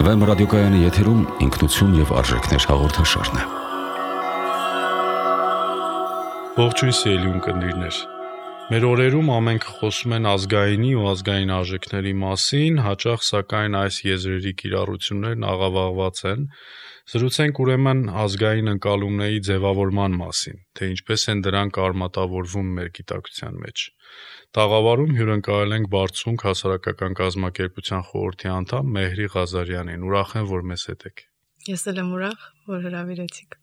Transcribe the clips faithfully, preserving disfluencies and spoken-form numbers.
Վեմ ռադիոկայանի եթերում ինքնություն և արժեքներ հաղորդաշարն է։ Ողջույն սիրելի ունկնդիրներ։ Մեր օրերում ամենքը խոսում են ազգայինի ու ազգային արժեքների մասին, հաճախ սակայն այս եզրերի կիրառություններն աղավաղված են։ Զրուցենք ուրեմն ազգային ընկալումների ձևավորման մասին, թե ինչպես են դրանք արմատավորվում մեր գիտակցության մեջ։ Տաղավարում հյուրընկալել ենք Բարձունք հասարակական կազմակերպության խորհրդի անդամ Մեհրի Ղազարյանին։ Ուրախ եմ, որ մեզ հետ եք։ Ես էլ եմ ուրախ, որ հրավիրեցիք։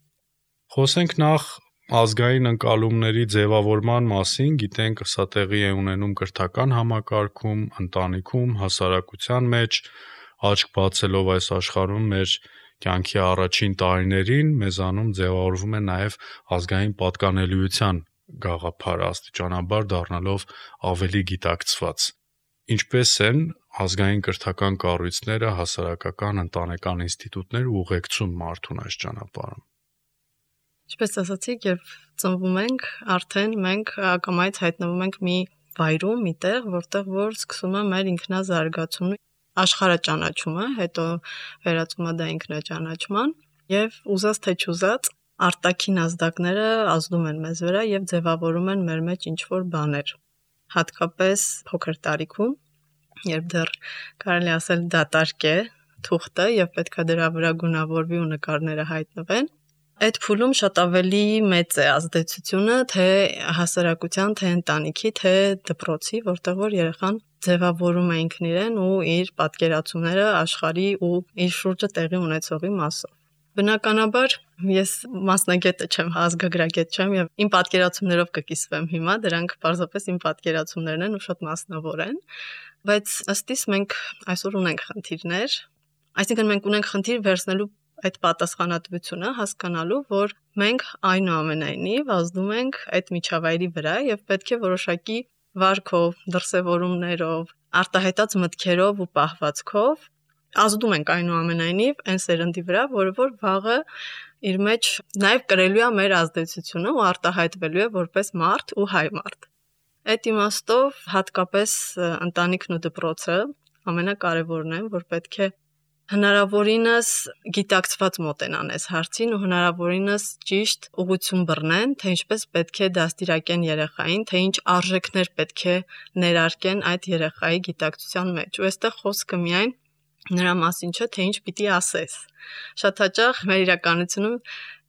Խոսենք նախ ազգային ընկալումների ձևավորման մասին, գիտենք սա տեղի է ունենում կրթական համակարգում, ընտանիքում, հասարակության մեջ, աչք բացելով այս աշխարհում մեր կյանքի առաջին տարիներին մեզանում ձևավորվում է նաև ազգային պատկանելիության գաղափարը, աստիճանաբար դառնալով ավելի գիտակցված։ Ինչպես են ազգային կրթական կառույցները, հասարակական, ընտանեկան ինստիտուտները ուղեկցում մարդուն այս ճանապարհում։ Ինչպես ասացիք, երբ ծնվում ենք, արդեն մենք ակամայից հայտնվում ենք մի վայրում, մի տեղ, որտեղ որ սկսում է մեր ինքնազարգացումը, աշխարհաճանաչումը, հետո վերածվում է դա ինքնաճանաչման, եւ ուզած թե չուզած արտաքին ազդակները ազդում են մեզ վրա եւ ձևավորում են մեր մեջ ինչ-որ բաներ։ Հատկապես փոքր տարիքում, երբ դեռ կարելի ասել դատարկ է թուղթը եւ պետքա դրա վրա գունավորվի ու նկարները հայտնվեն, այդ փուլում շատ ավելի մեծ է ազդեցությունը թե հասարակության, թե ընտանիքի, թե դպրոցի, որտեղ որ երեխան ձևավորում է ինքն իրեն ու իր պատկերացումները աշխարհի ու իր շուրջը տեղի ունեցողի մասով։ Բնականաբար ես մասնագետը չեմ, ազգագրագետ չեմ եւ իմ պատկերացումներով կկիսվեմ հիմա, դրանք պարզապես իմ պատկերացումներն են ու շատ մասնավոր են, բայց ըստ իս մենք այսօր ունենք խնդիրներ, այսինքն մենք ունենք խնդիր վերցնելու այդ պատասխանատվությունը, հասկանալու, որ մենք այնուամենայնիվ ազդում ենք այդ միջավայրի վրա եւ պետք է որոշակի վարքով, դրսևորումներով, արտահայտած մտքերով ու պահվածքով ազդում ենք այնուամենայնիվ այն սերնդի վրա, որը որ վաղը իր մեջ նաեւ կրելու է մեր ազդեցությունը ու արտահայտվելու է որպես մարդ ու հայ մարդ։ Այդ իմաստով հատկապես ընտանիքն ու դպրոցը ամենակարևորն են, որ պետք է հնարավորինս գիտակցված մոտենան այս հարցին ու հնարավորինս ճիշտ ուղղություն բռնեն, թե ինչպես պետք է դաստիարակեն երեխային, թե ինչ արժեքներ պետք է ներարկեն այդ երեխայի գիտակցության մեջ։ Ու այստեղ խոսքը միայն նրա մասին չէ, թե ինչ պիտի ասես։ Շատ հաճախ մեր իրականությունում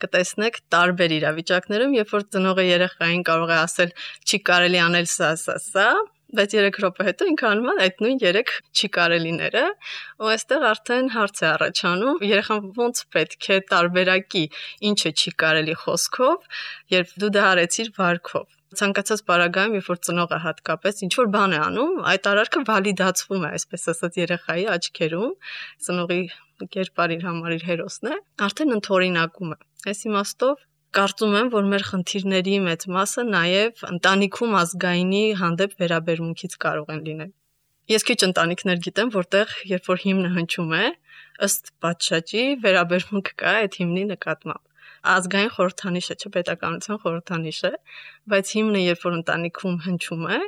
կտեսնեք տարբեր իրավիճակներում, երբ որ ծնողը երեխային կարող է ասել չի կարելի անել սա, սա, սա, բայց երեք րոպե հետո ինքը անում է այդ նույն երեք չի կարելիները, ու այստեղ արդեն հարց է առաջանում, երեխան ոնց պետք է տարբերակի ինչը չի կարելի խոսքով, երբ դու դա արեցիր վարքով։ Ցանկացած պարագայում, երբ որ ծնողը հատկապես ինչ որ բան է անում, այդ արարքը վալիդացվում է, այսպես ասած, երեխայի աչքերում, ծնողի կերպար իր համար իր հերոսն է, արդեն ընդօրինակում է։ Այս իմաստով կարծում եմ, որ մեր խնդիրների մեծ մասը նաև ընտանիքում ազգայինի հանդեպ վերաբերմունքից կարող են լինել։ Ես քիչ ընտանիքներ գիտեմ, որտեղ երբ որ հիմնը հնչում է, ըստ պատշաճի վերաբերմունք կա այդ հիմնի նկատմամբ։ Ազգային խորհրդանիշը չէ, պետականության խորհրդանիշը, բայց հիմնը երբ որ ընտանիքում հնչում է,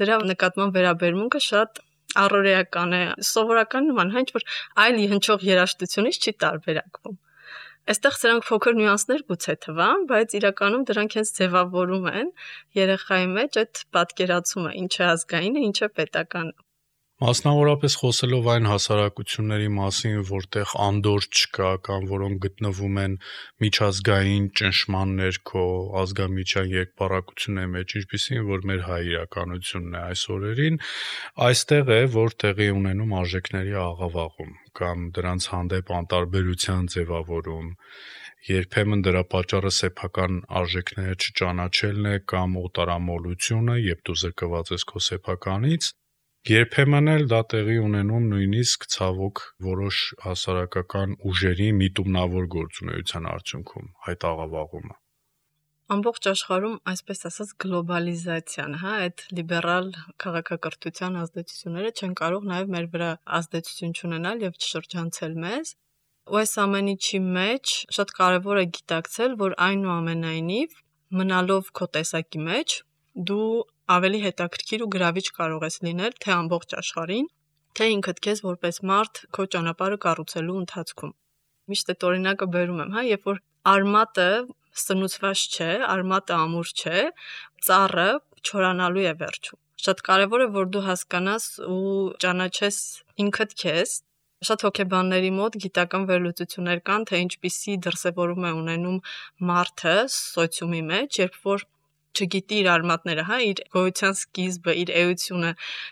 դրա նկատմամբ վերաբերմունքը շատ առօրեական է, սովորական նման, հենց որ այլ հնչող երաժշտությունից չի տարբերակվում։ Այստեղ սրանք փոքր նյուանսներ գուցե թվան, բայց իրականում դրանք հենց ձևավորում են երեխայի մեջ այդ պատկերացումը, ինչ է ազգայինը, ինչ է պետականը։ Մասնավորապես խոսելով այն հասարակությունների մասին, որտեղ անդորր չկա կամ որոնք գտնվում են միջազգային ճնշման ներքո, ազգամիջյան երկպառակությունների մեջ, ինչպիսին որ մեր հայ իրականությունն է այս օրերին, այստեղ է, որ տեղի ունենում արժեքների աղավաղում կամ դրանց հանդեպ անտարբերության ձևավորում, երբեմն դրա պատճառը սեփական արժեքները չճանաչելն է կամ օտարամոլությունը, երբ դու զրկված ես քո սեփականից, երբեմն էլ դա տեղի ունենում նույնիսկ ցավոք որոշ հասարակական ուժերի միտումնավոր գործունեության արդյունքում, այդ աղավաղումը։ Ամբողջ աշխարհում, այսպես ասած, գլոբալիզացիան, հա, այդ լիբերալ քաղաքակրթության ազդեցությունները չեն կարող նաև մեր վրա ազդեցություն չունենալ եւ չշրջանցել մեզ։ Ու այս ամեն ինչի մեջ շատ կարևոր է գիտակցել, որ այնուամենայնիվ մնալով քո տեսակի մեջ, դու ավելի հետաքրքիր ու գրավիչ կարող ես լինել թե ամբողջ աշխարհին, թե ինքդ քեզ որպես մարդ քո ճանապարհը կառուցելու ընթացքում։ Միշտ այդ օրինակը բերում եմ, հա, երբ որ արմատը սնուցված չէ, արմատը ամուր չէ, ծառը չորանալու է վերջում։ Շատ կարևոր է, որ դու հասկանաս ու ճանաչես ինքդ քեզ։ Շատ հոգեբանների մոտ գիտական վերլուծություններ կան, թե ինչպիսի դրսևորում է ունենում մարդը սոցիումի մեջ, երբ որ չգիտի իր արմատները, հա, իր գոյության սկիզբը, իր էությունը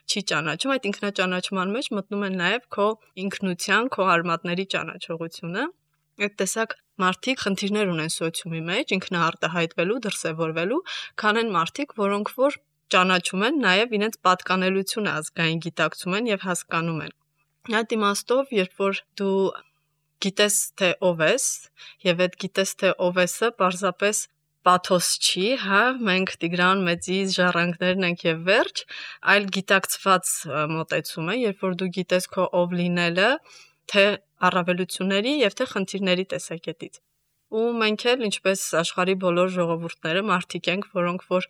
չի ճանաչում, այդ ինքնաճանաչման մեջ մտնում է նաև քո ինքնության, քո արմատների ճանաչողությունը։ Այդ տեսակ մարդիկ խնդիրներ ունեն սոցիումի մեջ ինքնաարտահայտվելու, դրսևորվելու, քան են մարդիկ, որոնք որ ճանաչում են նաև իրենց պատկանելությունը ազգային գիտակցում են եւ հասկանում են։ Այդ իմաստով, երբ որ դու գիտես թե ով ես եւ այդ գիտես թե ով եսը պարզապես պաթոս չի, հա, մենք Տիգրան Մեծի ժառանգներն ենք եւ վերջ, այլ գիտակցված մոտեցում է, երբ որ դու գիտես քո ով լինելը, թե առավելությունների եւ թե խնդիրների տեսակետից։ Ու մենք էլ ինչպես աշխարհի բոլոր ժողովուրդները մարդիկ ենք, որոնք որ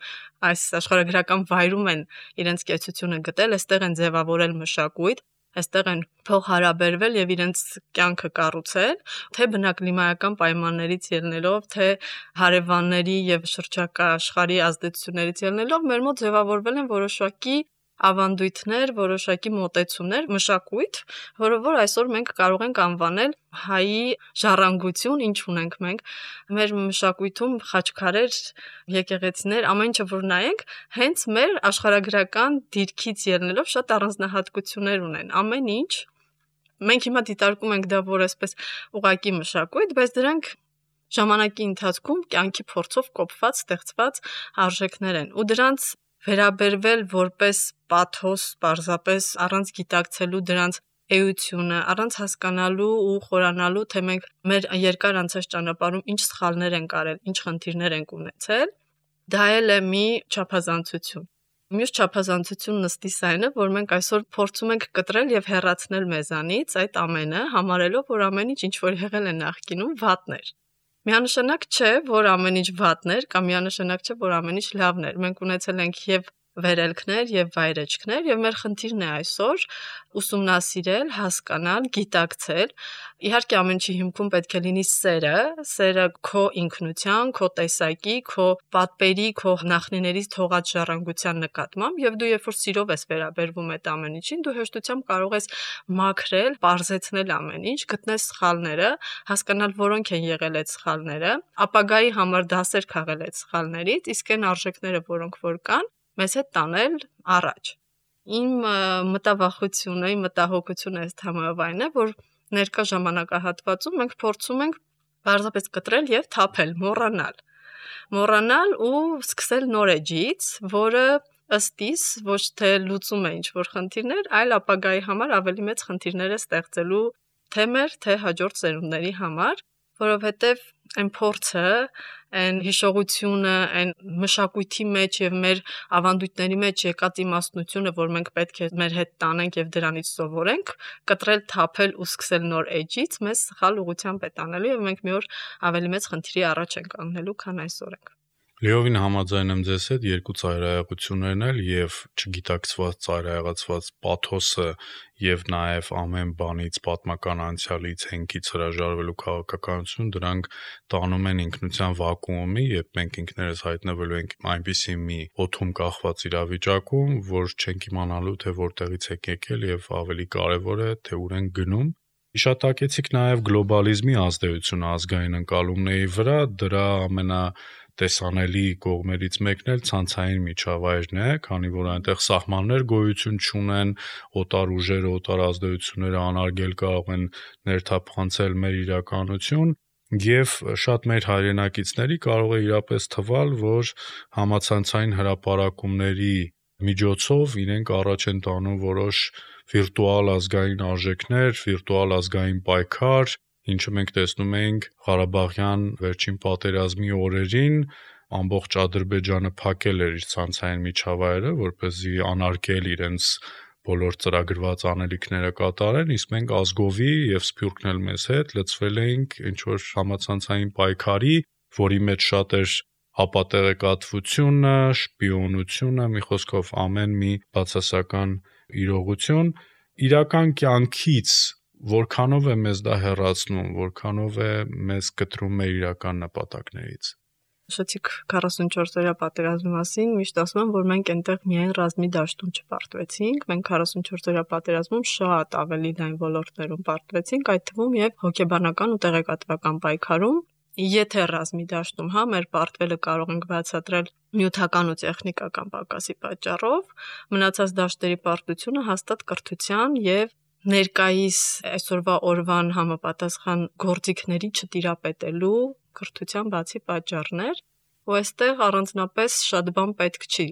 այս աշխարհագրական վայրում են իրենց կեցությունը գտել, այստեղ են ձևավորել մշակույթ, այստեղ են փոխհարաբերվել եւ իրենց կյանքը կառուցել, թե բնակլիմայական պայմաններից ելնելով, թե հարևանների եւ շրջակա աշխարհի ազդեցություններից ելնելով, մեր մոտ ձևավորվել են որոշակի ավանդույթներ, որոշակի մոտեցումներ, մշակույթ, որը որ այսօր մենք կարող ենք անվանել հայի ժառանգություն, ինչ ունենք մենք, մեր մշակույթում խաչքարեր, եկեղեցիներ, ամեն ինչը որ նայենք, հենց մեր աշխարհագրական դիրքից ելնելով շատ առանձնահատկություններ ունեն։ Ամեն ինչ մենք հիմա դիտարկում ենք դա որ այսպես ուղակի մշակույթ, բայց դրանք ժամանակի ընթացքում կյանքի փորձով կոփված, ստեղծված արժեքներ են։ Ու դրանց վերաբերվել որպես պաթոս, պարզապես առանց գիտակցելու դրանց էությունը, առանց հասկանալու ու խորանալու, թե մենք մեր երկար անցած ճանապարհում ինչ սխալներ ենք արել, ինչ խնդիրներ ենք ունեցել, դա էլ է մի չափազանցություն։ Մյուս չափազանցությունն ըստիս այն է, որ մենք այսօր փորձում ենք կտրել եւ հեռացնել մեզանից այդ ամենը, համարելով, որ ամեն ինչ ինչ որ եղել է նախկինում վատներ։ Միանշանակ չէ, որ ամեն ինչ վատներ, կամ միանշանակ չէ, որ ամեն ինչ լավներ։ Մենք ունեցել ենք եւ վերելքներ եւ վայրեջքներ եւ մեր խնդիրն է այսօր ուսումնասիրել, հասկանալ, գիտակցել։ Իհարկե ամեն ինչի հիմքում պետք է լինի սերը, սերը քո ինքնության, քո տեսակի, քո պատպերի, քո նախնիներից թողած ժառանգության նկատմամբ եւ դու երբ որ սիրով ես վերաբերվում այդ ամեն ինչին, դու հեշտությամբ կարող ես մաքրել, պարզեցնել ամեն ինչ, գտնել սխալները, հասկանալ որոնք են եղել այդ սխալները, ապագայի համար դասեր քաղել այդ սխալներից, իսկ այն արժեքները, որոնք որ կան, մեզ հետ տանել առաջ։ Իմ մտավախությունը, իմ մտահոգությունը այս թեմայով այն է, որ ներկա ժամանակահատվածում մենք փորձում ենք պարզապես կտրել եւ թափել, մոռանալ։ Մոռանալ ու սկսել նոր էջից, որը ըստ իս ոչ թե լուծում է ինչ-որ խնդիրներ, այլ ապագայի համար ավելի մեծ խնդիրներ է ստեղծելու թե մեր, թե հաջորդ սերունդների համար, որովհետեւ այն փորձը, այն հիշողությունը, այն մշակույթի մեջ եւ մեր ավանդույթների մեջ եկած իմաստնությունը, որ մենք պետք է մեր հետ տանենք եւ դրանից սովորենք, կտրել, թափել ու սկսել նոր էջից, մեզ սխալ ուղղությամբ է տանելու եւ մենք մի օր ավելի մեծ խնդրի առաջ ենք կանգնելու, քան այսօր ենք։ Լիովին համաձայն եմ ձեզ հետ, երկու ծայրահեղություններն էլ եւ չգիտակցված ծայրահեղացված պաթոսը եւ նաեւ ամեն բանից պատմական անցյալից հենքից հրաժարվելու քաղաքականություն դրանք տանում են ինքնության վակուումի, երբ մենք ինքներս հայտնվելու ենք այնպիսի մի օդում կախված իրավիճակում, որ չենք իմանալու թե որտեղից ենք եկել եւ ավելի կարեւոր է թե ուր ենք գնում։ Հիշատակեցիք նաեւ գլոբալիզմի ազդեցությունը ազգային ընկալումների վրա, դրա ամենա տեսանելի կողմերից մեկն էլ ցանցային միջավայրն է, քանի որ այնտեղ սահմաններ գոյություն չունեն, օտար ուժերը, օտար ազդեցությունները անարգել կարող են ներթափանցել մեր իրականություն, եւ շատ մեր հայրենակիցների կարող է իրապես թվալ, որ համացանցային հրապարակումների միջոցով իրենք առաջ են տանում որոշ վիրտուալ ազգային արժեքներ, վիրտուալ ազգային պայքար, ինչը մենք տեսնում ենք Ղարաբաղյան վերջին պատերազմի օրերին, ամբողջ Ադրբեջանը փակել էր իր ցանցային միջավայրը, որպեսզի անարգել իրենց բոլոր ծրագրված անելիքները կատարեն, իսկ մենք ազգովի եւ Սփյուռքն էլ մեզ հետ լծվել էինք ինչ որ համացանցային պայքարի, որի մեջ շատ էր հապատեղեկատվությունը, շպիոնությունը, մի խոսքով ամեն մի բացասական իրողություն, իրական կյանքից որքանով է մեզ դա հեռացնում, որքանով է մեզ կտրում մեր իրական նպատակներից։ Շուտիկ քառասունչորսօրյա պատերազմի մասին միշտ ասում եմ, որ մենք այնտեղ միայն ռազմի դաշտում չպարտվեցինք, մենք քառասունչորսօրյա պատերազմում շատ ավելի լայն ոլորտներում պարտվեցինք, այդ թվում եւ հոգեբանական ու տեղեկատվական պայքարում։ Եթե ռազմի դաշտում հա մեր պարտվելը կարող ենք բացատրել նյութական ու տեխնիկական պակասի պատճառով, մնացած դաշտերի պարտությունը հաստատ կրթության եւ ներկայիս այսօրվա օրվան համապատասխան գործիքների չտիրապետելու կրթության բացի պատճառներ, ու այստեղ առանձնապես շատ բան պետք չի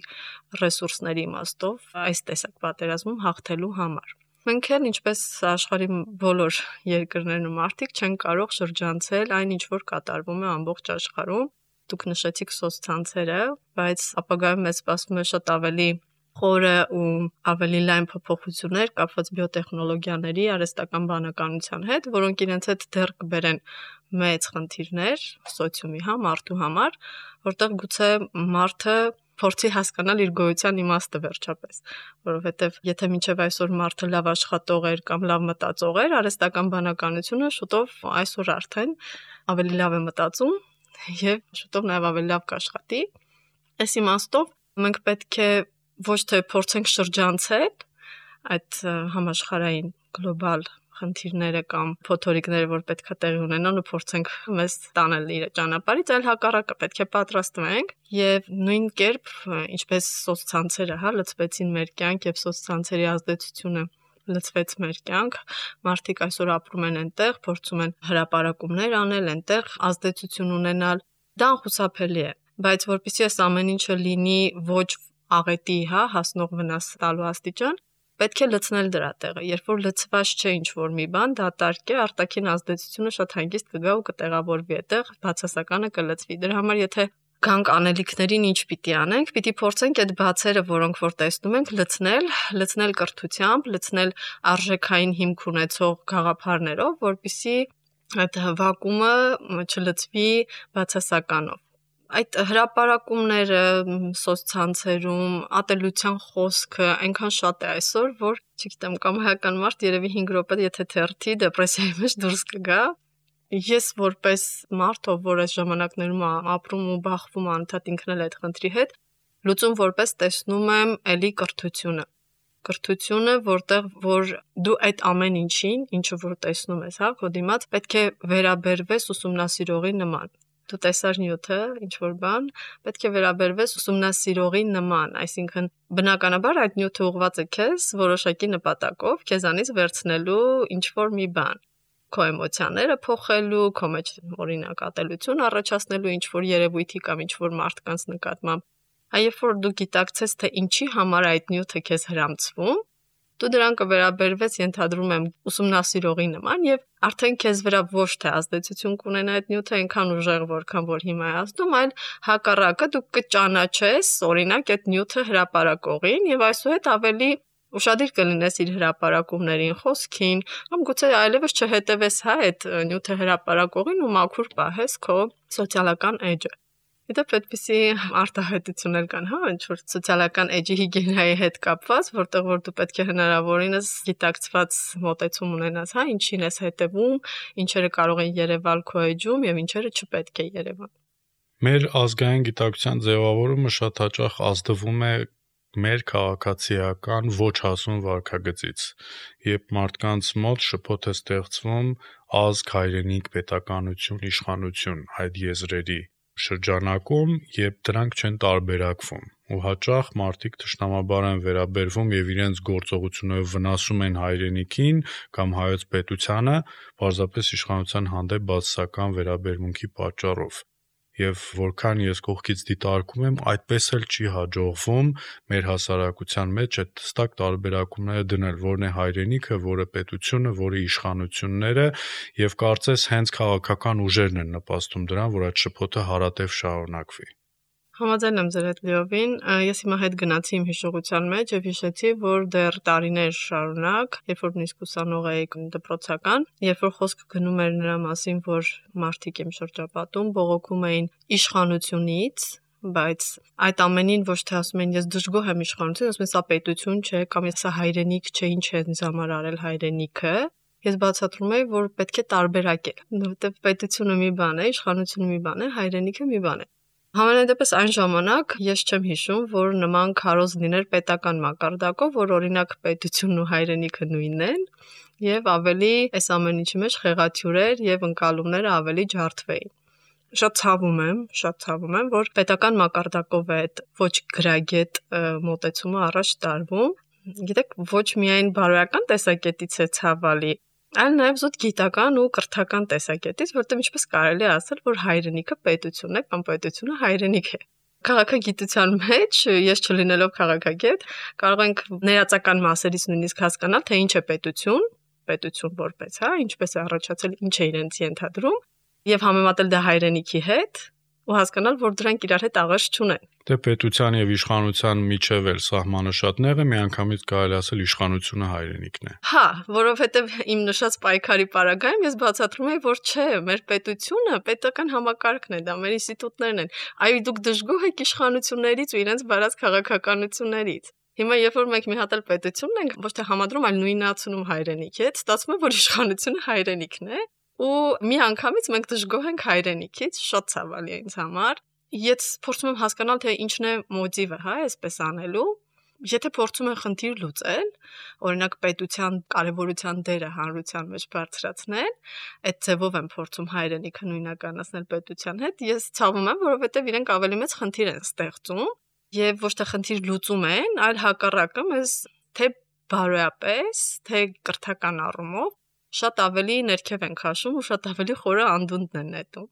ռեսուրսների իմաստով այս տեսակ պատերազմում հաղթելու համար։ Մենք էլ ինչպես աշխարհի բոլոր երկրներն ու մարդիկ չեն կարող շրջանցել այն, ինչ որ կատարվում է ամբողջ աշխարհում։ Դուք նշեցիք սոցցանցերը, բայց ապագայում մեզ սպասվում է շատ ավելի խորը ու ավելի լայն փոփոխություններ կապված բիոտեխնոլոգիաների, արհեստական բանականության հետ, որոնք իրենց հետ դեռ կբերեն մեծ խնդիրներ սոցիումի հա մարդու համար, որտեղ գուցե մարդը փորձի հասկանալ իր գոյության իմաստը վերջապես, որովհետև եթե մինչև այսօր մարդը լավ աշխատող էր կամ լավ մտածող էր, արհեստական բանականությունը շուտով այսօր արդեն ավելի լավ է մտածում եւ շուտով նաեւ ավելի լավ կաշխատի։ Այս իմաստով մենք պետք է ոչ թե փորձենք շրջանցել այդ համաշխարհային գլոբալ խնդիրները կամ փոթորիկները, որ պետք է տեղի ունենան ու փորձենք մեզ տանել իր ճանապարհից, այլ հակառակը պետք է պատրաստվենք եւ նույն կերպ ինչպես սոցցանցերը հա լծվեցին մեր կյանք եւ սոցցանցերի ազդեցությունը լծվեց մեր կյանք, մարդիկ այսօր ապրում են այնտեղ, փորձում են հրապարակումներ անել, այնտեղ ազդեցություն ունենալ, դա անխուսափելի է, բայց որpեսզի այս ամեն ինչը լինի ոչ աղետի հա հասնող վնաս տալու աստիճան, պետք է լցնել դրա տեղը, երբ որ լցված չէ ինչ-որ մի բան, դատարկ է, արտաքին ազդեցությունը շատ հանգիստ կգա ու կտեղավորվի այդտեղ, բացասականը կլցվի։ Դրա համար եթե գանք անելիքներին ինչ պիտի անենք, պիտի փորձենք այդ բացերը, որոնք որ տեսնում ենք, լցնել, լցնել կրթությամբ, լցնել արժեքային հիմք ունեցող գաղափարներով, որպեսզի այդ վակուումը չլցվի բացասականով։ Այդ հրապարակումները սոցցանցերում, ատելության խոսքը այնքան շատ է այսօր, որ չգիտեմ, կամայական մարդ երևի հինգ րոպե եթե թերթի դեպրեսիայի մեջ դուրս կգա։ Ես որպես մարդ, ով որ այս ժամանակներում ապրում ու բախվում անընդհատ ինքն էլ այդ խնդրի հետ, լուծում որպես տեսնում եմ էլի կրթությունը։ Կրթությունը, որտեղ որ դու այդ ամեն ինչին, ինչը որ տեսնում ես, հա, քո դիմաց, պետք է վերաբերվես ուսումնասիրողի նման։ Դու տեսար նյութը, ինչ որ բան, պետք է վերաբերվես ուսումնասիրողի նման, այսինքն բնականաբար այդ նյութը ուղղված է քեզ որոշակի նպատակով, քեզանից վերցնելու ինչ որ մի բան, քո էմոցիաները փոխելու, քո մեջ օրինակ ատելություն առաջացնելու ինչ որ երևույթի կամ ինչ որ մարդկանց նկատմամբ։ Այբ որ դու գիտակցես, թե ինչի համար այդ նյութը քեզ հրամցվում, դու դրան կվերաբերվես, ենթադրում եմ, ուսումնասիրողի նման եւ արդեն քեզ վրա ոչ թե ազդեցություն կունենա այդ նյութը այնքան ուժեղ, որքան որ հիմա է ազդում, այլ հակառակը դու կճանաչես, օրինակ, այդ նյութը հրապարակողին եւ այսուհետ ավելի ուշադիր կլինես իր հրապարակումներին, խոսքին, կամ գուցե այլևս չհետևես հա այդ նյութը հրապարակողին ու մաքուր պահես քո սոցիալական էջը։ Իդեպ այդպիսի արտահայտություններ կան, հա, ինչ-որ սոցիալական էջի հիգիենայի հետ կապված, որտեղ որ դու պետք է հնարավորինս գիտակցված մոտեցում ունենաս, հա, ինչին ես հետևում, ինչերը կարող են երևալ քո էջում եւ ինչերը չպետք է երևան։ Մեր ազգային գիտակցության ձևավորումը շատ հաճախ ազդվում է մեր քաղաքացիական ոչ հասուն վարքագծից, երբ մարդկանց մոտ շփոթ է ստեղծվում ազգ, հայրենիք, պետականություն, իշխանություն այդ եզրերի շրջանակում, երբ դրանք չեն տարբերակվում ու հաճախ մարդիկ թշնամաբար են վերաբերվում եւ իրենց գործողություններով վնասում են հայրենիքին կամ հայոց պետությանը, պարզապես իշխանության հանդեպ բացասական վերաբերմունքի պատճառով։ Եվ որքան ես կողքից դիտարկում եմ, այդպես էլ չի հաջողվում մեր հասարակության մեջ այդ հստակ տարբերակումները դնել, որն է հայրենիքը, որը պետությունը, որը իշխանությունները, եւ կարծես հենց քաղաքական ուժերն են նպաստում դրան, որ այդ շփոթը հարատև շարունակվի։ Համաձայն եմ ձեր հետ լիովին, ես հիմա հետ գնացի իմ հիշողության մեջ եւ հիշեցի, որ դեռ տարիներ շարունակ, երբ որ նույնիսկ ուսանող էի դպրոցական, երբ որ խոսքը գնում էր նրա մասին, որ մարդիկ իմ շրջապատում բողոքում էին իշխանությունից, բայց այդ ամենին ոչ թե ասում են ես դժգոհ եմ իշխանություն, ասում են սա պետություն չէ, կամ սա հայրենիք չէ, ինչ է ինձ համար արել հայրենիքը։ Ես բացատրում եմ, որ պետք է տարբերակել, որովհետև պետությունը մի բան է, իշխանությունը մի բան է, հայրենիքը մի բան է։ Համենայն դեպս այն ժամանակ ես չեմ հիշում, որ նման քարոզ լիներ պետական մակարդակով, որ օրինակ պետությունն ու հայրենիքը նույնն են, եւ ավելի այս ամեն ինչի մեջ խեղաթյուրեր եւ ընկալումները ավելի ջարդվեին։ Շատ ցավում եմ, շատ ցավում եմ, որ պետական մակարդակով է այդ ոչ գրագետ մոտեցումը առաջ տարվում։ Գիտեք, ոչ միայն բարոյական տեսակետից է ցավալի, այլ նաև զուտ գիտական ու կրթական տեսակետից, որտեղ ինչպես կարելի է ասել, որ հայրենիքը պետությունն է կամ պետությունը հայրենիք է։ Քաղաքագիտության մեջ, ես չլինելով քաղաքագետ, կարող ենք ներածական մասերից նույնիսկ հասկանալ, թե ինչ է պետություն, պետություն որպես, հա, ինչպես է առաջացել, ինչ է իրենց ենթադրում, եւ համեմատել դա հայրենիքի հետ ու հասկանալ, որ դրանք իրար հետ աղերս չունեն։ Դե պետության եւ իշխանության միջև էլ սահմանը շատ նեղ է, միանգամից կարելի ասել իշխանությունը հայրենիքն է։ Հա, որովհետեւ իմ նշած պայքարի պարագայում ես բացատրում եմ, որ չէ, մեր պետությունը պետական համակարգն է, դա մեր ինստիտուտներն են։ Այո, դուք դժգոհ եք իշխանություններից ու իրենց բարած քաղաքականություններից։ Հիմա երբ որ մենք մի հատ էլ պետությունն ենք, ոչ թե համադրում, այլ նույնացնում հայրենիքի հետ, ստացվում է, որ իշխանությունը հայրենիքն է, ու մի անգամից մենք դժգոհ ենք հայրենիքից, շատ ցավալի է ինձ համար։ Ես փորձում եմ հասկանալ, թե ինչն է մոտիվը, հա, այսպես անելու։ Եթե փորձում են խնդիր լուծել, օրինակ պետության կարևորության դերը հանրության մեջ բարձրացնել, այդ ձևով են փորձում հայրենիքը նույնականացնել պետության հետ, ես ցավում եմ, որովհետև իրենք ավելի մեծ խնդիր են ստեղծում եւ ոչ թե խնդիր լուծում են, այլ հակառակը մեզ թե բարոյապես, թե կրթական առումով շատ ավելի ներքև են քաշում ու շատ ավելի խորը անդունդն են նետում։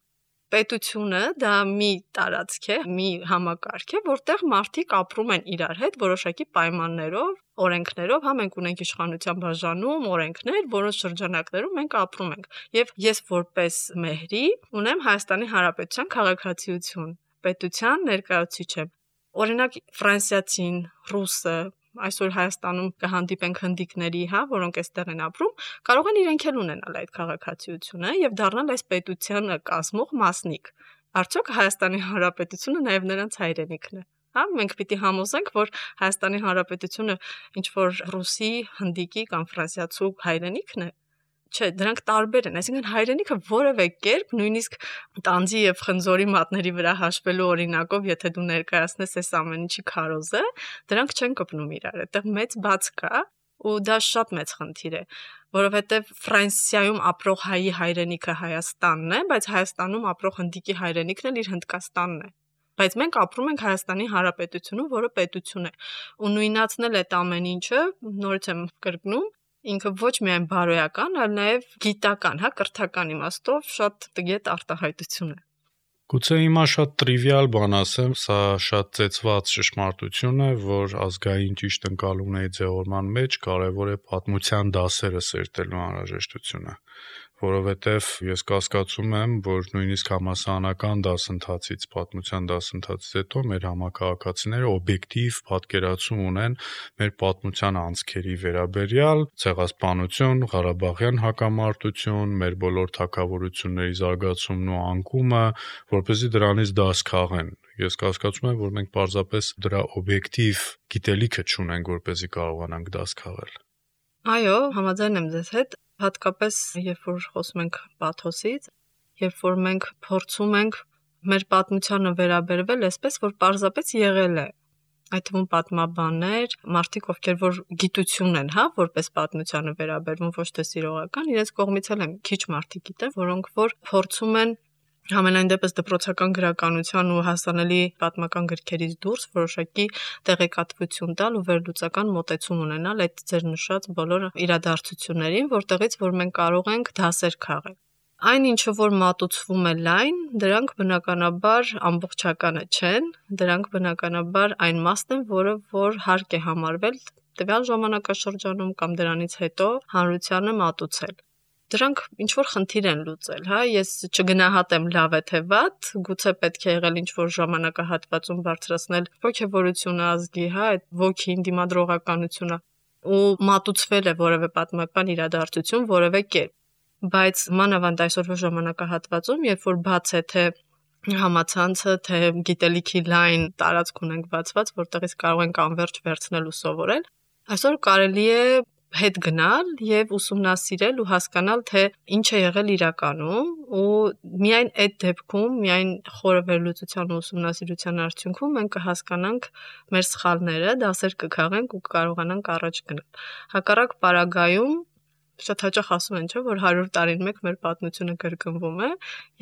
Պետությունը դա մի տարածք է, մի համակարգ է, որտեղ մարդիկ ապրում են իրար հետ որոշակի պայմաններով, օրենքներով, հա, մենք ունենք իշխանության բաժանում օրենքներ, որոնց շրջանակներում մենք ապրում ենք։ Եվ ես որպես մեհրի ունեմ Հայաստանի Հանրապետության քաղաքացիություն, պետության ներկայացուցիչ եմ։ Օրինակ ֆրանսիացին, ռուսը, այսօր Հայաստանում կհանդիպենք հնդիկների, հա, որոնք այստեղ են ապրում, կարող են իրենք էլ ունենալ այդ քաղաքացիությունը եւ դառնալ այս պետությանը կազմող մասնիկ։ Արդյոք Հայաստանի Հանրապետությունը նաեւ նրանց հայրենիքն է։ Հա, մենք պիտի համոզենք, որ Հայաստանի Հանրապետությունը ինչ որ ռուսի, հնդիկի կամ ֆրանսիացու հայրենիքն է։ Չէ, դրանք տարբեր են, այսինքն հայրենիքը որևէ կերպ նույնիսկ տանձի եւ խնձորի մատների վրա հաշվելու օրինակով, եթե դու ներկայացնես այս ամեն ինչի քարոզը, դրանք չեն կպնում իրար, այդտեղ մեծ բաց կա ու դա շատ մեծ խնդիր է, որովհետեւ Ֆրանսիայում ապրող հայի հայրենիքը Հայաստանն է, բայց Հայաստանում ապրող հնդիկի հայրենիքն էլ իր Հնդկաստանն է։ Բայց մենք ապրում ենք Հայաստանի Հանրապետությունում, որը պետություն է, ու նույնացնել այդ ամեն ինչը, նորից եմ կրկնում, ինքը ոչ միայն բարոյական, այլ նաև գիտական, հա, կրթական իմաստով շատ տգետ արտահայտություն է։ Գուցե հիմա շատ տրիվիալ բան ասեմ, սա շատ ծեծված ճշմարտություն է, որ ազգային ճիշտ ընկալումների ձևավորման մեջ կարևոր է պատմության դասերը սերտելու անհրաժեշտությունը, որովհետև ես կասկածում եմ, որ նույնիսկ համասանական դասընթացից, պատմության դասընթացից հետո մեր համակարգացիները օբյեկտիվ պատկերացում ունեն մեր պատմության անցքերի վերաբերյալ, ցեղասպանություն, Ղարաբաղյան հակամարտություն, մեր բոլոր թագավորությունների զարգացումն ու անկումը, որպեսզի դրանից դաս քաղեն։ Ես կասկածում եմ, որ մենք պարզապես դրա օբյեկտիվ գիտելիքը չունենք, որպեսզի կարողանանք դաս քաղել։ Այո, համաձայն եմ ձեզ հետ, հատկապես երբ որ խոսում ենք պաթոսից, երբ որ մենք փորձում ենք մեր պատմությանը վերաբերվել այսպես, որ պարզապես եղել է։ Այդ թվում պատմաբաններ, մարդիկ, ովքեր որ գիտություն են, հա, որպես պատմությանը վերաբերվում, ոչ թե սիրողական, իրենց կողմից էլ են քիչ մարդիկ գիտեն, որոնք որ փորձում են Համենայն դեպս դպրոցական գրականության ու հասանելի պատմական գրքերից դուրս որոշակի տեղեկատվություն տալ ու վերլուծական մոտեցում ունենալ այդ ձեր նշած բոլոր իրադարձություններին, որտեղից որ մենք կարող ենք դասեր քաղել։ Այն ինչը որ մատուցվում է լայն, դրանք բնականաբար ամբողջականը չեն, դրանք բնականաբար այն մասն են, որը որ հարկ է համարվել տվյալ ժամանակաշրջանում կամ դրանից հետո հանրությանը մատուցել։ Դրանք ինչ որ խնդիր են լուծել, հա, ես չգնահատեմ լավ է թե վատ, գուցե պետք է եղել ինչ որ ժամանակահատվածում բարձրացնել ոգևորությունը ազգի, հա, այդ ոգին դիմադրողականությունը ու մատուցվել է որևէ պատմական իրադարձություն որևէ կերպ, բայց մանավանդ այսօրվա ժամանակահատվածում, երբ որ բաց է թե համացանցը, թե գիտելիքի լայն տարածք ունենք բացված, որտեղից կարող ենք անverջ վերցնել ու սովորել, այսօր կարելի է հետ գնալ եւ ուսումնասիրել ու հասկանալ, թե ինչ է եղել իրականում, ու միայն այդ դեպքում, միայն խորը վերլուծության ու ուսումնասիրության արդյունքում մենք կհասկանանք մեր սխալները, դասեր կքաղենք ու կկարողանանք առաջ գնալ։ Հակառակ պարագայում շատ հաճախ ասում են, չէ, որ հարյուր տարին մեկ մեր պատմությունը կրկնվում է,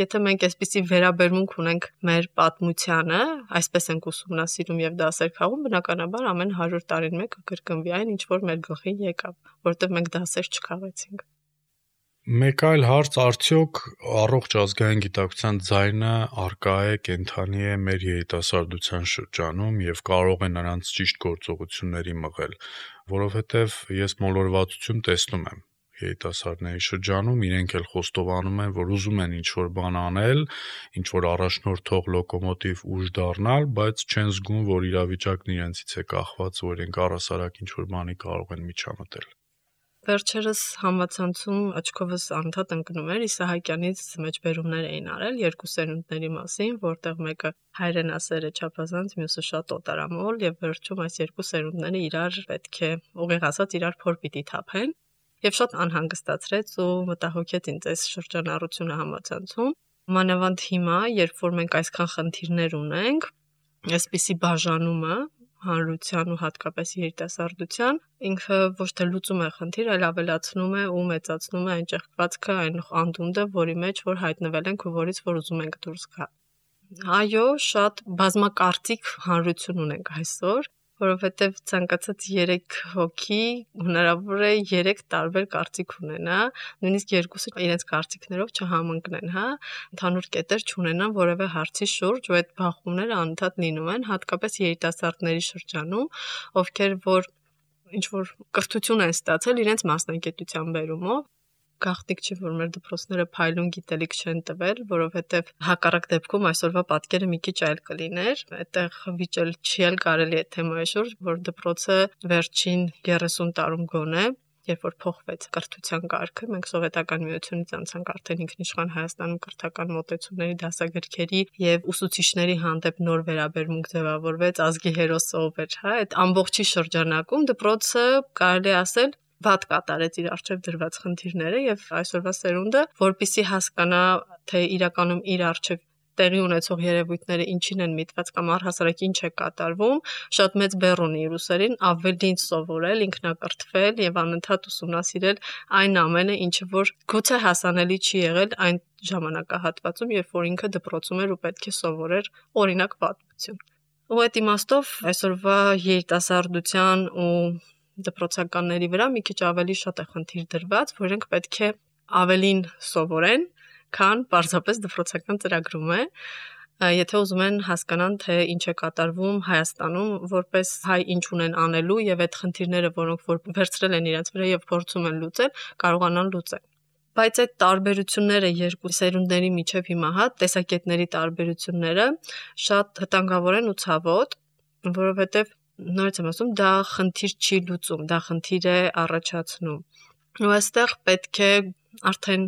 եթե մենք այսպիսի վերաբերմունք ունենք մեր պատմությանը, այսպես ենք ուսումնասիրում եւ դասեր քաղում, բնականաբար ամեն հարյուր տարին մեկ կկրկնվի այն, ինչ որ մեր գլխին եկավ, որտեղ մենք դասեր չքաղեցինք։ Մեկ այլ հարց, արդյոք առողջ ազգային գիտակցության ձայնը արկա է, կենթանի է մեր երիտասարդության շրջանում եւ կարող է նրանց ճիշտ գործողությունների մղել, որովհետեւ ես մոլորվածություն տեսնում եմ երիտասարդների շրջանում, իրենք էլ խոստովանում են, որ ուզում են ինչ-որ բան անել, ինչ-որ առաջնորդող լոկոմոտիվ ուժ դառնալ, բայց չեն զգում, որ իրավիճակն իրենցից է կախված, որ իրենք առհասարակ ինչ-որ բանի կարող են միջամտել։ Վերջերս համացանցում աչքովս անդադ ընկնում էր Իսահակյանից մեջբերումներ էին արել երկու սերունդների մասին, որտեղ մեկը հայրենասեր է չափազանց, մյուսը շատ օտարամոլ, եւ վերջում այս երկու սերունդները իրար պետք է ուղիղ ասած իրար փոր պիտի թափեն, եւ շատ անհանգստացրեց ու մտահոգեց ինձ այս շրջանառությունը համացանցում։ Մանավանդ հիմա, երբ որ մենք այսքան խնդիրներ ունենք, այսպիսի բաժանումը հանրության ու հատկապես երիտասարդության, ինքը ոչ թե լուծում է խնդիր, այլ ավելացնում է ու մեծացնում է այն ճեղքվածքը, այն անդունդը, որի մեջ որ հայտնվել ենք ու որից որ ուզում ենք դուրս գալ։ Այո, շատ բազմակարծիք հանրություն ունենք այսօր, որովհետև ցանկացած երեք հոգի հնարավոր է երեք տարբեր կարծիք ունենա, նույնիսկ երկուսը իրենց կարծիքներով չհամընկնեն, հա, ընդհանուր կետեր չունենան որևէ հարցի շուրջ, ու այդ բախումները անընդհատ լինում են, հատկապես երիտասարդների շրջանում, ովքեր որ ինչ որ կրթություն են ստացել իրենց մասնագիտության բերումով, գաղտնիք չի, որ մեր դպրոցները փայլուն գիտելիք չեն տվել, որովհետև հակառակ դեպքում այսօրվա պատկերը մի քիչ այլ կլիներ, այդտեղ վիճել չի էլ կարելի է թեմայի շուրջ, որ դպրոցը վերջին երեսուն տարում գոնե, երբ որ փոխվեց կրթության կարգը, մենք սովետական միությունից անցանք արդեն ինքնիշխան Հայաստանում կրթական մոտեցումների, դասագրքերի եւ ուսուցիչների հանդեպ նոր վերաբերմունք ձևավորվեց, ազգի հերոսը ով էր, հա, այդ ամբողջի շրջանակում դպրոցը կարելի ասել վատ կատարեց իր արժև դրված խնդիրները եւ այսօրվա սերունդը, որպիսի հասկանա, թե իրականում իր արժև տեղի ունեցող երևույթները ինչին են միտված կամ առհասարակ ինչ է կատարվում, շատ մեծ բեռ ունի իր ուսերին ավելին սովորել, ինքնակրթվել եւ անընդհատ ուսումնասիրել այն ամենը, ինչը որ գուցե հասանելի չի եղել այն ժամանակահատվածում, երբ որ ինքը դպրոցում էր ու պետք է սովորեր օրինակ պատմություն։ Ու այդ իմաստով այսօրվա երիտասարդության ու դպրոցականների վրա մի քիչ ավելի շատ է խնդիր դրված, որ իրենք պետք է ավելին սովորեն, քան պարզապես դպրոցական ծրագրում է, եթե ուզում են հասկանան, թե ինչ է կատարվում Հայաստանում, որպես հայ ինչ ունեն անելու եւ այդ խնդիրները, որոնք որ վերցրել են իրենց վրա եւ փորձում են լուծել, կարողանան լուծել։ Բայց այդ տարբերությունները երկու սերունդների միջև հիմա հա տեսակետների տարբերությունները շատ վտանգավոր են ու ցավոտ, որովհետեւ նորից եմ ասում, դա խնդիր չի լուծում, դա խնդիր է առաջացնում։ Ու այստեղ պետք է արդեն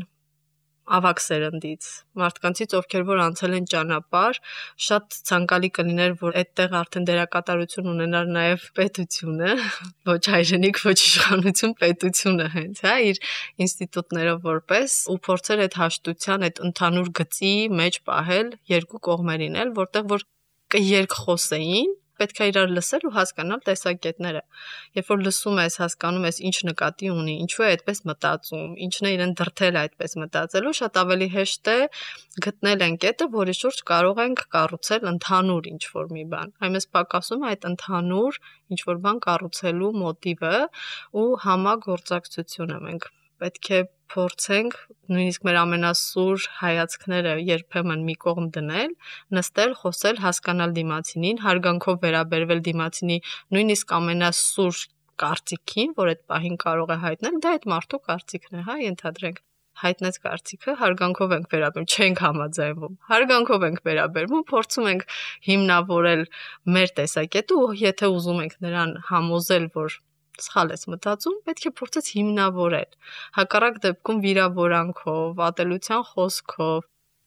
ավակ սերնդից, մարդկանցից, ովքեր որ անցել են ճանապարհ, շատ ցանկալի կլիներ, որ այդտեղ արդեն դերակատարություն ունենար նաև պետությունը, ոչ հայրենիք, ոչ իշխանություն, պետությունը հենց, հա, իր ինստիտուտներով որպես ու փորձեր այդ հաշտության, այդ ընդհանուր գծի մեջ պահել երկու կողմերին էլ, որտեղ որ կերկխոսեին, պետք է իրար լսել ու հասկանալ տեսակետները։ Երբ որ լսում ես, հասկանում ես ինչ նկատի ունի, ինչու է այդպես մտածում, ինչն է իրեն դրթել այդպես մտածելու, շատ ավելի հեշտ է գտնել այն կետը, որի շուրջ կարող ենք կառուցել ընդհանուր ինչ-որ մի բան։ Այնպես պակասում է այդ ընդհանուր ինչ-որ բան կառուցելու մոտիվը ու համագործակցությունը։ Մենք պետք է փորձենք նույնիսկ մեր ամենասուր հայացքները երբեմն մի կողմ դնել, նստել, խոսել, հասկանալ դիմացինին, հարգանքով վերաբերվել դիմացինի նույնիսկ ամենասուր կարծիքին, որ այդ պահին կարող է հայտնել, դա այդ մարդու կարծիքն է, հա, ենթադրենք։ Հայտնեց կարծիքը, հարգանքով ենք վերաբերվում, չենք համաձայնվում։ Հարգանքով ենք վերաբերվում, փորձում ենք հիմնավորել մեր տեսակետը ու եթե ուզում ենք նրան համոզել, որ սխալ ես մտածում, պետք է փորձես հիմնավորել։ Հակառակ դեպքում վիրավորանքով, ատելության խոսքով,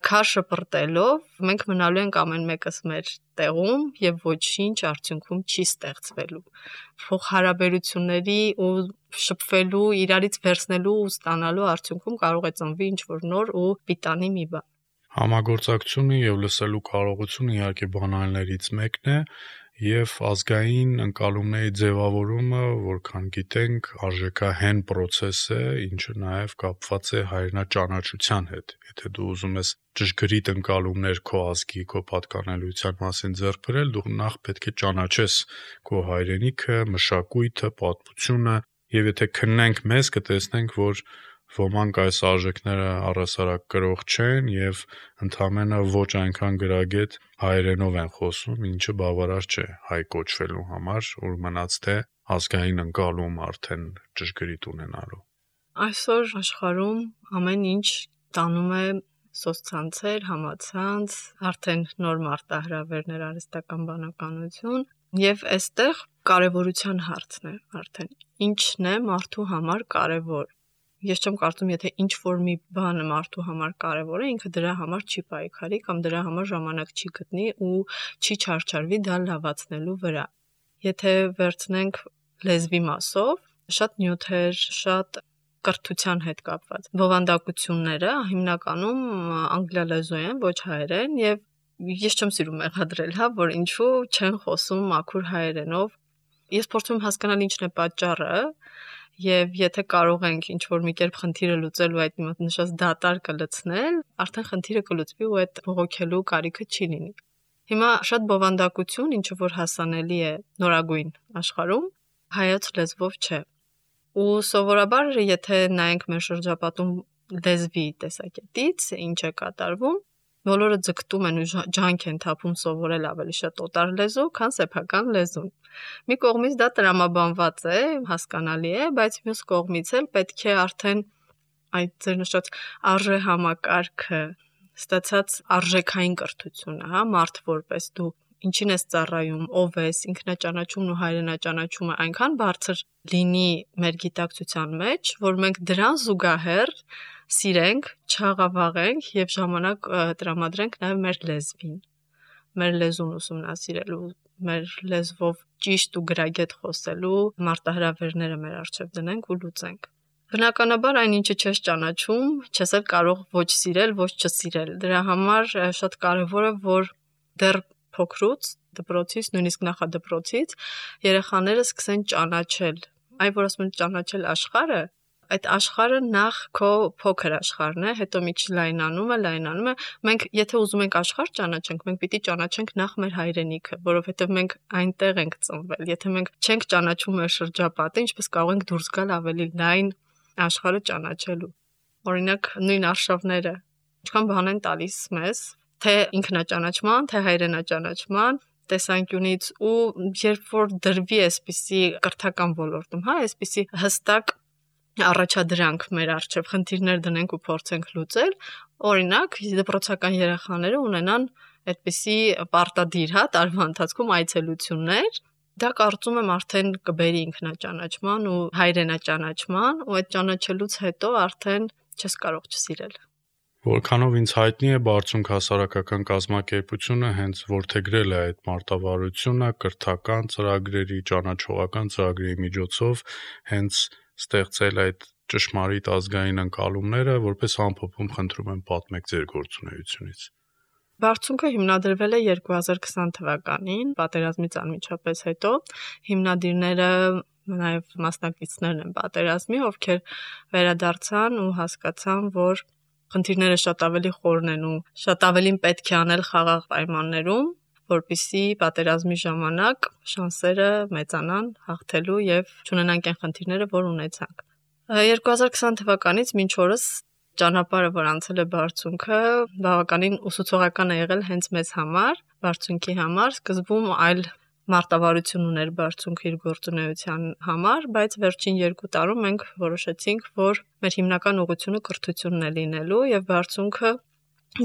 Քար շպրտելով մենք մնալու ենք ամեն մեկս մեր տեղում եւ ոչինչ արդյունքում չի ստեղծվելու։ Փոխհարաբերությունների ու շփվելու, իրարից վերցնելու ու ստանալու արդյունքում կարող է ծնվի ինչ-որ նոր ու պիտանի մի բան։ Համագործակցությունը եւ լսելու կարողությունը իհարկե բանալներից մեկն է եւ ազգային ընկալումների ձևավորումը, որքան գիտենք, արժեքահեն process է, ինչը նաեւ կապված է հայրենաճանաչության հետ։ Եթե դու ուզում ես ճշգրիտ ընկալումներ քո ազգի, քո պատկանելիության մասին ձեռք բերել, դու նախ պետք է ճանաչես քո հայրենիքը, մշակույթը, պատմությունը, եւ եթե քննենք մեզ, կտեսնենք, որ ոմանք այս արժեքները առհասարակ կրող չեն եւ ընդհանրապես ոչ այնքան գրագետ հայերենով են խոսում, ինչը բավարար չէ հայ կոչվելու համար, որ մնաց թե ազգային ընկալում արդեն ճշգրիտ ունենալու։ Այսօր աշխարհում ամեն ինչ տանում է սոցցանցեր, համացանց, արդեն նոր մարտահրավերներ, արհեստական բանականություն եւ այստեղ կարեւորության հարցն է արդեն ինչն է մարդու համար կարեւոր։ Ես չեմ կարծում, եթե ինչ որ մի բանը մարդու համար կարևոր է, ինքը դրա համար չի պայքարի կամ դրա համար ժամանակ չի գտնի ու չի չարչարվի դա լավացնելու վրա։ Եթե վերցնենք լեզվի մասով, շատ նյութեր, շատ կրթության հետ կապված բովանդակությունները հիմնականում անգլիալեզու են, ոչ հայերեն, եւ ես չեմ սիրում մեղադրել, հա, որ ինչու չեն խոսում մաքուր հայերենով։ Ես փորձում եմ հասկանալ ինչն է պատճառը, եւ եթե կարող ենք ինչ որ մի կերպ խնդիրը լուծել ու այդ նշած դատար կլցնել, արդեն խնդիրը կլուծվի ու այդ բողոքելու կարիքը չի լինի։ Հիմա շատ բովանդակություն, ինչը որ հասանելի է նորագույն աշխարհում, հայոց լեզվով չէ։ Ու սովորաբար եթե նայենք մեր շրջապատում լեզվի տեսակետից, ինչ է կատարվում, բոլորը ձգտում են ու ջանք են թափում սովորել ավելի շատ օտար լեզու, քան սեփական լեզուն։ Մի կողմից դա տրամաբանված է, հասկանալի է, բայց մյուս կողմից էլ պետք է արդեն այդ ձեր նշած արժե համակարգը, ստացած արժեքային կրթությունը, հա, մարդ որպես դու ինչին ես ծառայում, ով ես, ինքնաճանաչումն ու հայրենաճանաչումը այնքան բարձր լինի մեր գիտակցության մեջ, որ մենք դրան զուգահեռ սիրենք, չաղավաղենք եւ ժամանակ տրամադրենք նաեւ մեր լեզվին, մեր լեզուն ուսումնասիրելու, մեր լեզվով ճիշտ ու գրագետ խոսելու մարտահրավերները մեր առջև դնենք ու լուծենք։ Բնականաբար այն ինչը չես ճանաչում, չես էլ կարող ոչ սիրել, ոչ չսիրել։ Դրա համար շատ կարևոր է, որ դեռ փոքրուց, դպրոցից, նույնիսկ նախադպրոցից երեխաները սկսեն ճանաչել, այ որ ասում են ճանաչել աշխարհը, այդ աշխարհը նախ քո փոքր աշխարհն է, հետո միջ լայնանում է, լայնանում է։ Մենք եթե ուզում ենք աշխարհ ճանաչենք, մենք պիտի ճանաչենք նախ մեր հայրենիքը, որովհետև մենք այնտեղ ենք ծնվել։ Եթե մենք չենք ճանաչում մեր շրջապատը, ինչպես կարող ենք դուրս գալ ավելի լայն աշխարհը ճանաչելու։ Օրինակ նույն արշավները ինչքան բան են տալիս մեզ, թե ինքնաճանաչման, թե հայրենաճանաչման տեսանկյունից ու երբ որ դրվի այսպիսի կրթական ոլորտում, հա, այսպիսի հստակ առաջադրանք մեր առջև խնդիրներ դնենք ու փորձենք լուծել, օրինակ դպրոցական երեխաները ունենան այդպիսի պարտադիր, հա, տարվա ընթացքում այցելություններ, դա կարծում եմ արդեն կբերի ինքնաճանաչման ու հայրենաճանաչման ու այդ ճանաչելուց հետո արդեն չես կարող չսիրել։ Որքանով ինձ հայտնի է, Բարձունք հասարակական կազմակերպությունը հենց որդեգրել է այդ մարտավարությունը կրթական ծրագրերի, ճանաչողական ծրագրերի միջոցով հենց ստեղծել այդ ճշմարիտ ազգային ընկալումները, որպես ամփոփում խնդրում եմ պատմեք ձեր գործունեությունից։ Բարձունքը հիմնադրվել է երկու հազար քսան թվականին, պատերազմից անմիջապես հետո, հիմնադիրները նաև մասնակիցներն են պատերազմի, ովքեր վերադարձան ու հասկացան, որ խնդիրները շատ ավելի խորն են ու շատ ավելին պետք է անել խաղաղ պայմաններում, որպեսզի պատերազմի ժամանակ շանսերը մեծանան հաղթելու եւ չունենանք այն խնդիրները, որ ունեցանք։ երկու հազար քսան թվականից մինչ օրս ճանապարհը, որ անցել է Բարձունքը, բավականին ուսուցողական է եղել հենց մեզ համար, Բարձունքի համար, սկզբում այլ մարտավարություն ուներ Բարձունքը իր գործունեության համար, բայց վերջին երկու տարում մենք որոշեցինք, որ մեր հիմնական ուղղությունը կրթությունն է լինելու եւ Բարձունքը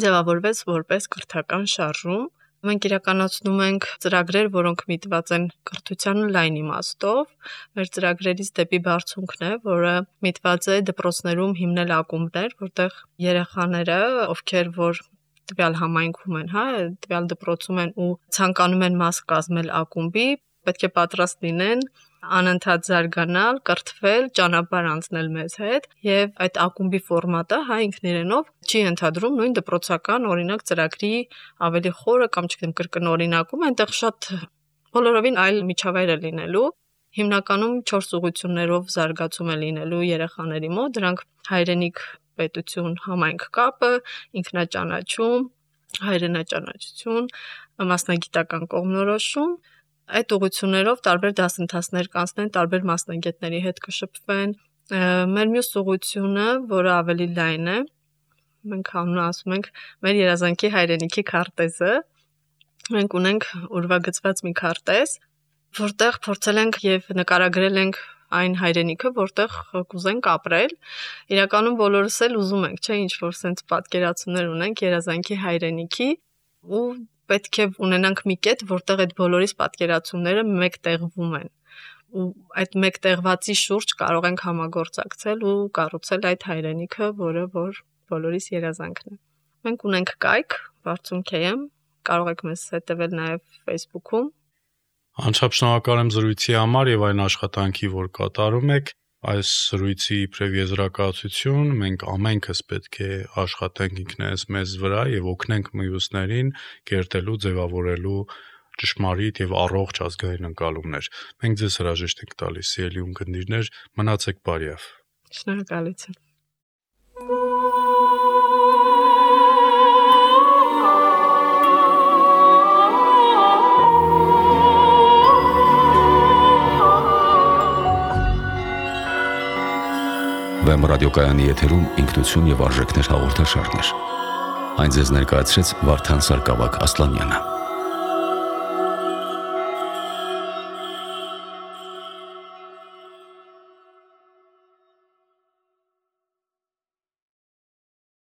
ձևավորվեց որպես կրթական շարժում։ Մենք իրականացնում ենք ծրագրեր, որոնք միտված են կրթությանը լայն իմաստով։ Մեր ծրագրերից դեպի Բարձունքն է, որը միտված է դպրոցներում հիմնել ակումբներ, որտեղ երեխաները, ովքեր որ տվյալ համայնքում են, հա, տվյալ դպրոցում են ու ցանկանում են մաս կազմել ակումբի, պետք է պատրաստ լինեն անընդհատ զարգանալ, կրթվել, ճանապարհ անցնել մեզ հետ եւ այդ ակումբի ֆորմատը հա ինքն իրենով չի ընդհանրում նույն դպրոցական օրինակ ծրագրի ավելի խորը կամ չգիտեմ կրկնօրինակում, այնտեղ շատ բոլորովին այլ միջավայր է լինելու։ Հիմնականում չորս ուղղություններով զարգացում է լինելու երեխաների մոտ, դրանք հայրենիք, պետություն, համայնք կապը, ինքնաճանաչում, հայրենաճանաչություն, մասնագիտական կողմնորոշում, այդ ուղղություններով տարբեր դասընթացներ կանցնեն, տարբեր մասնագետների հետ կշփվեն։ Մեր մյուս ուղղությունը, որը ավելի լայն է, մենք անունը ասում ենք մեր երազանքի հայրենիքի քարտեզը։ Մենք ունենք ուրվագծված մի քարտեզ, որտեղ փորձել ենք եւ նկարագրել ենք այն հայրենիքը, որտեղ կուզենք ապրել։ Իրականում բոլորս էլ ուզում ենք, չէ, ինչ որ sense պատկերացումներ ունենք երազանքի հայրենիքի ու պետք է ունենանք մի կետ, որտեղ այդ բոլորիս պատկերացումները մեկտեղվում են։ Ու այդ մեկտեղվածի շուրջ կարող ենք համագործակցել ու կառուցել այդ հայրենիքը, որը որ բոլորիս երազանքն է։ Մենք ունենք կայք Բարձուն քեյ էմ, կարող եք մեզ հետևել նաև Facebook-ում։ Անչափ շնորհակալ եմ զրույցի համար եւ այն աշխատանքի, որ կատարում եք։ Այս զրույցի իբրև եզրակացություն մենք ամենքս պետք է աշխատենք ինքներս մեզ վրա եւ օգնենք մյուսներին կերտելու, ձևավորելու ճշմարիտ եւ առողջ ազգային ընկալումներ։ Մենք ձեզ հրաժեշտ ենք տալիս, սիրելի ունկնդիրներ, մնացեք բարյավ։ Շնորհակալություն։ Վեմ ռադիոկայանի եթերում ինքնություն եւ արժեքներ հաղորդաշարներ։ Այն ձեզ ներկայացրեց Վարդան Սարգսակ Ասլանյանը։